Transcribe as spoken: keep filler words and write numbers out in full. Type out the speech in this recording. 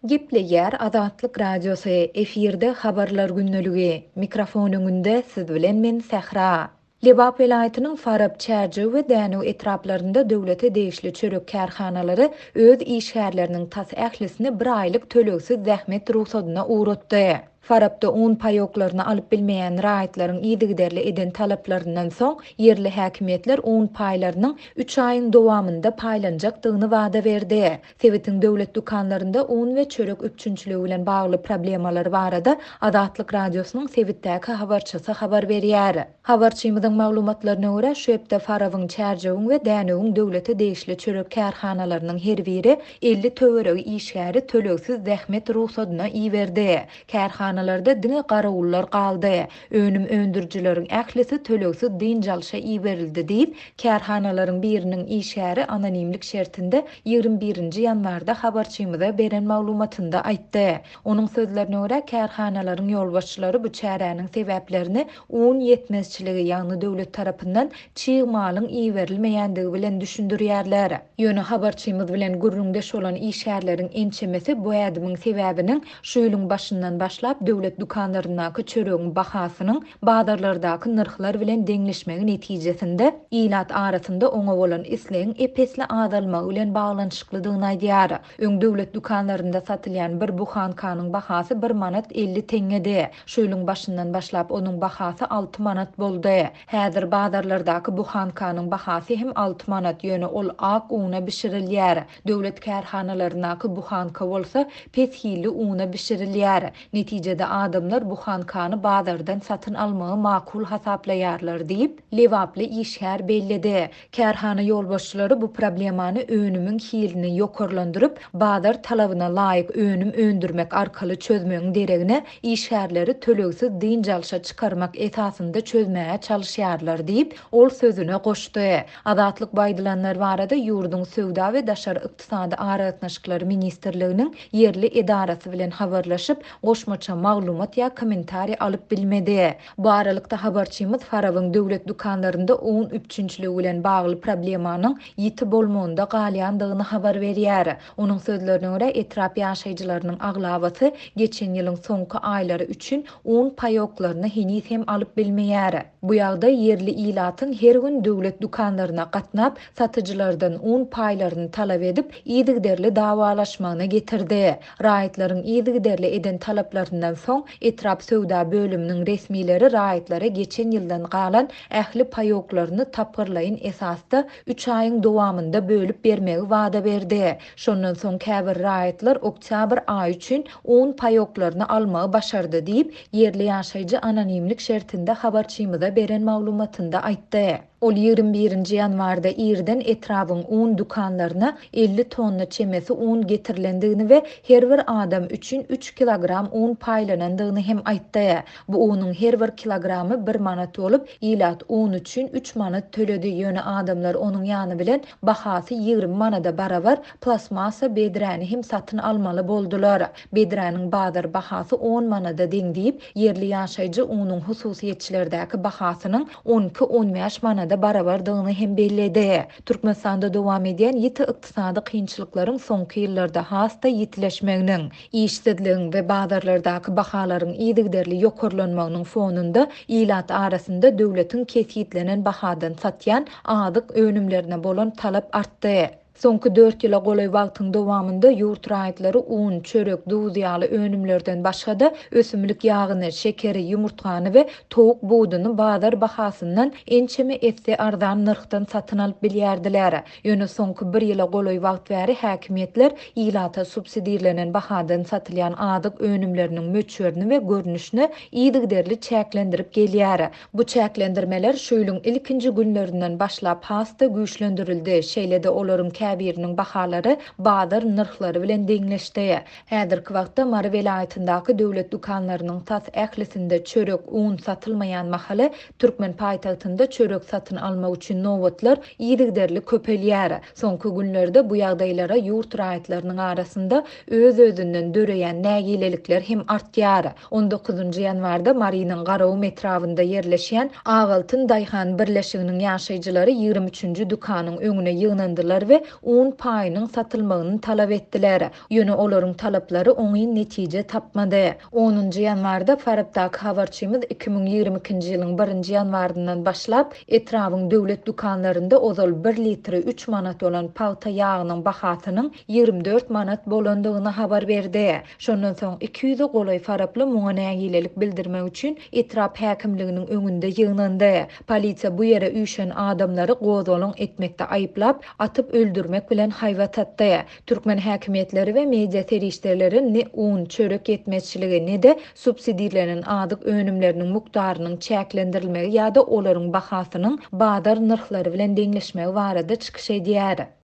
Gepleýär Azatlyk Radiosy, efirde Habarlar gündeligi. Mikrofon öňünde siz bilen men Sähra. Lebap welaýatynyň Farap, Çärjew we Dänew etraplarynda döwlete degişli çörek kärhanalary öz işgärleriniň tas ählisini bir aýlyk tölegsiz zähmet rugsadyna ugratdy. Farapda un paýoklaryny alyp bilmeýän raýatlaryň yzygiderli eden talaplaryndan soň, ýerli häkimiýetler un paýlarynyň üç aýyň dowamynda paýlanjakdygyny wada berdi. Sebitiň döwlet dükanlarynda un we çörek üpjünçiligi bilen bagly problemalar barada Azatlyk Radiosynyň sebitdäki habarçysy habar berýär. Habarçymyzyň maglumatlaryna görä, şu hepde Farabyň, Çärjewiň we Dänewiň döwlete degişli çörek kärhanalarynyň her biri elli töweregi işgäri tölegsiz zähmet rugsadyna iberdi. Kärhanalarda diňe garawullar galdy. Önüm öndürijileriň ählisi tölegsiz dynç alşa iberildi diýip, kärhanalaryň biriniň işgäri anonimlik şertinde ýigrimi birinji ýanwarda habarçymyza beren maglumatynda aýtdy. Onuň sözlerine görä, kärhanalaryň ýolbaşçylary bu çäräniň sebäplerini un ýetmezçiligi, ýagny döwlet tarapyndan çig malyň iberilmeýändigi bilen düşündirýärler. Ýöne habarçymyz bilen gürrüňdeş bolan işgärleriň ençemesi bu ädimiň sebäbiniň şu ýylyň başyndan başlap döwlet dükanlaryndaky çöregiň bahasynyň bazarlardaky nyrhlar bilen deňleşmegi netijesinde ilat arasynda oňa bolan islegiň ep-esli azalmagy bilen baglanyşyklydygyny aýdýar. Öň döwlet dükanlarynda satylýan bir buhankanyň bahasy bir manat elli teňňedi. Şu ýylyň başyndan başlap onuň bahasy alty manat boldy. Häzir bazarlardaky buhankanyň bahasy hem alty manat, ýöne ol ak una bişirilýär. Döwlet kärhanalaryndaky buhanka bolsa pes hilli una bişirilýär. Netijede adamlar buhankany bazardan satyn almagy makul hasaplaýarlar diýip, Lebaply işgär belledi. Kärhana ýolbaşçylary bu problemany önümiň hilini ýokarlandyryp, bazar talabyna laýyk önüm öndürmek arkaly çözmegiň deregine işgärleri tölegsiz dynç alşa çykarmak esasynda çözmäge çalışýarlar diýip, ol sözüne goşdy. Azatlyk bu aýdylanlar barada ýurduň Söwda we Daşary ykdysady aragatnaşyklary ministrliginiň ýerli edarasy bilen habarlaşyp, goşmaça maglumat ýa kommentariý alyp bilmedi. Bu aralykda habarçymyz Farabyň döwlet dükanlarynda un üpjünçiligi bilen bagly problemanyň ýiti bolmagynda galýandygyny habar berýär. Onuň sözlerine görä, etrap ýaşaýjylarynyň aglabasy geçen ýylyň soňky aýlary üçin un paýoklaryny heniz hem alyp bilmeýär. Bu ýagdaý ýerli ilatyň her gün döwlet dükanlaryna gatnap, satyjylardan un paýlaryny talap edip, yzygiderli dawalaşmagyna getirdi. Raýatlaryň yzygiderli eden talaplaryndan soň etrap söwda bölüminiň resmileri raýatlara geçen ýyldan galan ähli paýoklaryny tapgyrlaýyn esasda üç aýyň dowamynda bölüp bermegi wada berdi. Şondan soň käbir raýatlar oktýabr aýy üçin un paýoklaryny almagy başardy diýip, ýerli ýaşaýjy anonimlik şertinde habarçymyza beren maglumatynda aýtdy. Ol ýigrimi birinji ýanwarda irden etrabyň un dükanlaryna elli tonna çemesi un getirilendigini we her bir adam üçin üç kilogram un paýlanandygyny hem aýtdy. Bu unuň her bir kilogramy bir manat bolup, ilat un üçin üç manat töledi. Ýöne adamlar onuň ýany bilen bahasy ýigrimi manada barabar plastmassa bedräni hem satyn almaly boldular. Bedräniň bazar bahasy on manada deň diýip, ýerli ýaşaýjy unuň hususyýetçilerdäki bahasynyň on iki on bäş manada barabardygyny hem belledi. Türkmenistanda dowam edýän ýiti ykdysady kynçylyklaryň soňky ýyllarda has-da ýitileşmeginiň, işsizligiň we bazarlardaky bahalaryň yzygiderli ýokarlanmagynyň fonunda ilat arasynda döwletiň kesgitlenen bahadan satýan azyk önümlerine bolan talap artdy. Soňky dört ýyla golaý wagtyň dowamynda ýurt raýatlary un, çörek, duz ýaly önümlerden başga-da ösümlik ýagyny, şekeri, ýumurtgany we towuk buduny bazar bahasyndan ençeme esse arzan nyrhdan satyn alyp bilýärdiler. Ýöne soňky bir ýyla golaý wagt bäri häkimiýetler ilata subsidirlenen bahadan satylýan azyk önümleriniň möçberini we görnüşini yzygiderli çäklendirip gelýär. Bu çäklendirmeler şu ýylyň ilkinji günlerinden başlap has-da güýçlendirildi. Şeýle-de olaryň käbiriniň bahalary bazar nyrhlary bilen deňleşdi. Häzirki wagtda Mary welaýatyndaky döwlet dükanlarynyň tas ählisinde çörek, un satylmaýan mahaly Türkmen paýtagtynda çörek satyn almak üçin nobatlar yzygiderli köpelýär. Soňky günlerde bu ýagdaýlara ýurt raýatlarynyň arasynda öz-özünden döreýän nägilelikler hem artýar. on dokuzynjy ýanwarda Marynyň Garagum etrabynda ýerleşýän Agaltyn Daýhan birleşiginiň ýaşaýjylary ýigrimi üçünji dükanyň öňüne ýygnandylar we un paýynyň satylmagyny talap etdiler. Ýöne olaryň talaplary oňyn netije tapmady. Onunjy ýanwarda Farapdaky habarçymyz iki müň ýigrimi ikinji ýylyň birinji ýanwaryndan başlap, etrabyň döwlet dükanlarynda ozal bir litri üç manat bolan pagta ýagynyň bahasynyň ýigrimi dört manat bolandygyny habar berdi. Şondan soň iki ýüze golaý faraply muňa nägilelik bildirmek üçin etrap häkimliginiň öňünde ýygnandy. Polisiýa bu ýere üýşen adamlary gozgalaň etmekde aýyplap, atyp öldürmek bilen haýbat atdy. Türkmen häkimiýetleri we media serişdeleri ne un, çörek ýetmezçiligi, ne-de subsidirlenen azyk önümleriniň mukdarynyň çäklendirilmegi ýa-da olaryň bahasynyň bazar nyrhlary bilen deňleşmegi barada çykyş edýär.